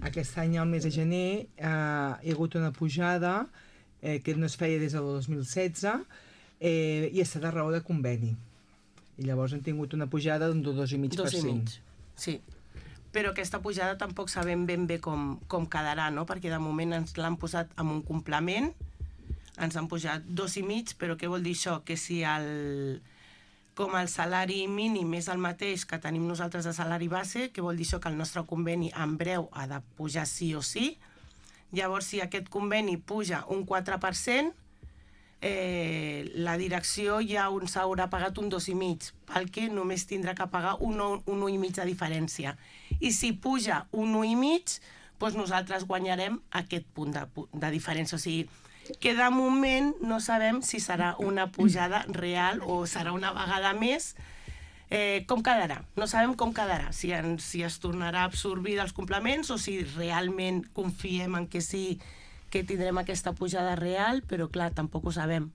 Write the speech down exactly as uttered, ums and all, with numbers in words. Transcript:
Aquest any, al mes de gener, eh, hi ha hagut una pujada eh, que no es feia des del dos mil setze eh, i està de raó de conveni. I llavors han tingut una pujada d'un dos coma cinc per cent. Dos i mig, sí. Però aquesta pujada tampoc sabem ben bé com, com quedarà, no? Perquè de moment ens l'han posat amb un complement, ens han pujat dos i mig, però què vol dir això? Que si el, com el salari mínim és el mateix que tenim nosaltres de salari base, què vol dir això? Que el nostre conveni en breu ha de pujar sí o sí. Llavors, si aquest conveni puja un quatre per cent, Eh, la direcció ja uns haurà pagat un dos i mig, pel que només tindrà que pagar un, un un i mig de diferència. I si puja un un i mig, doncs nosaltres guanyarem aquest punt de, de diferència. O sigui, que de moment no sabem si serà una pujada real o serà una vegada més. Eh, com quedarà? No sabem com quedarà. Si, en, si es tornarà a absorbir dels complements o si realment confiem en que sí que tindrem aquesta pujada real, però clar, tampoc ho sabem.